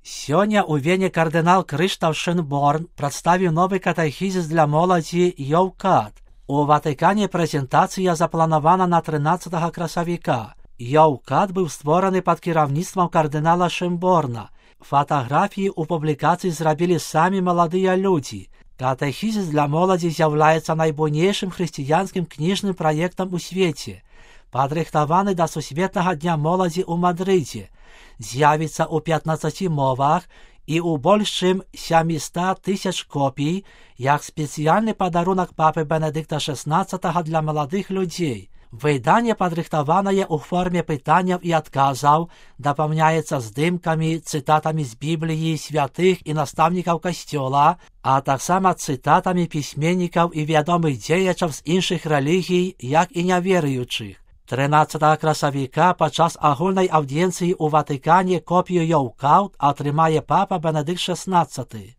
Сёння ў Вене кардынал Крыштаф Шынборн прадставіў новы катэхізіс для моладзі «Йоўкат». У Ватыкане прэзентацыя запланавана на 13 красавіка. «Йоўкат» быў створаны пад кіраўніцтвам кардынала Шынборна. Фатаграфіі ў публікацыі зрабілі самі маладыя людзі. Катэхізіс для моладзі з'яўляецца найбуйнейшым хрысціянскім кніжным праектам у свеце. Падрыхтаваны да Сусветнага дня моладзі ў Мадрыдзе. З'явіцца ў 15 мовах і ў больш чым 700 000 копій, як спецыяльны падарунак папы Бенедыкта XVI для маладых людзей. Выданне падрыхтаванае ў форме пытанняў і адказаў, дапаўняецца здымкамі, цытатамі з Бібліі, святых і настаўнікаў касцёла, а таксама цытатамі пісьменнікаў і вядомых дзеячаў з іншых рэлігій, як і няверуючых. 13 красавіка падчас агульнай аўдыенцыі ў Ватыкане копію «Йоўкат» атрымае папа Бенедыкт XVI.